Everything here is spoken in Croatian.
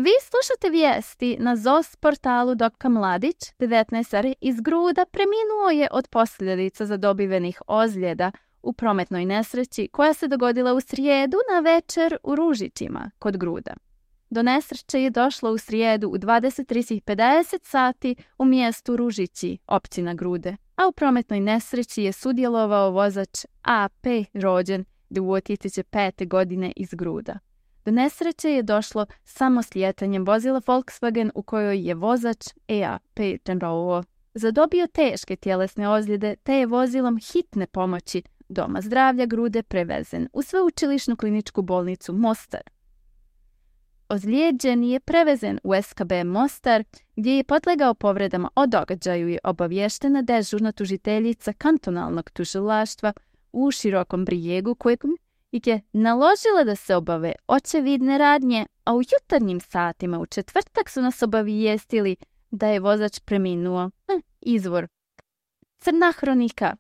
Vi slušate vijesti na ZOS portalu Dr. Mladić. 19 iz Gruda preminuo je od posljedica zadobivenih ozljeda u prometnoj nesreći koja se dogodila u srijedu na večer u Ružićima kod Gruda. Do nesreće je došlo u srijedu u 23:50 sati u mjestu Ružići, općina Grude, a u prometnoj nesreći je sudjelovao vozač AP rođen 2005. godine iz Gruda. Do nesreće je došlo samo slijetanjem vozila Volkswagen u kojoj je vozač EAP General zadobio teške tjelesne ozljede te je vozilom hitne pomoći Doma zdravlja Grude prevezen u sveučilišnu kliničku bolnicu Mostar. Ozlijeđeni je prevezen u SKB Mostar gdje je podlegao povredama. O događaju je obavještena dežurna tužiteljica kantonalnog tužilaštva u Širokom Brijegu koja je naložila da se obave očevidne radnje, a u jutarnjim satima u četvrtak su nas obavijestili da je vozač preminuo. Izvor Crna hronika.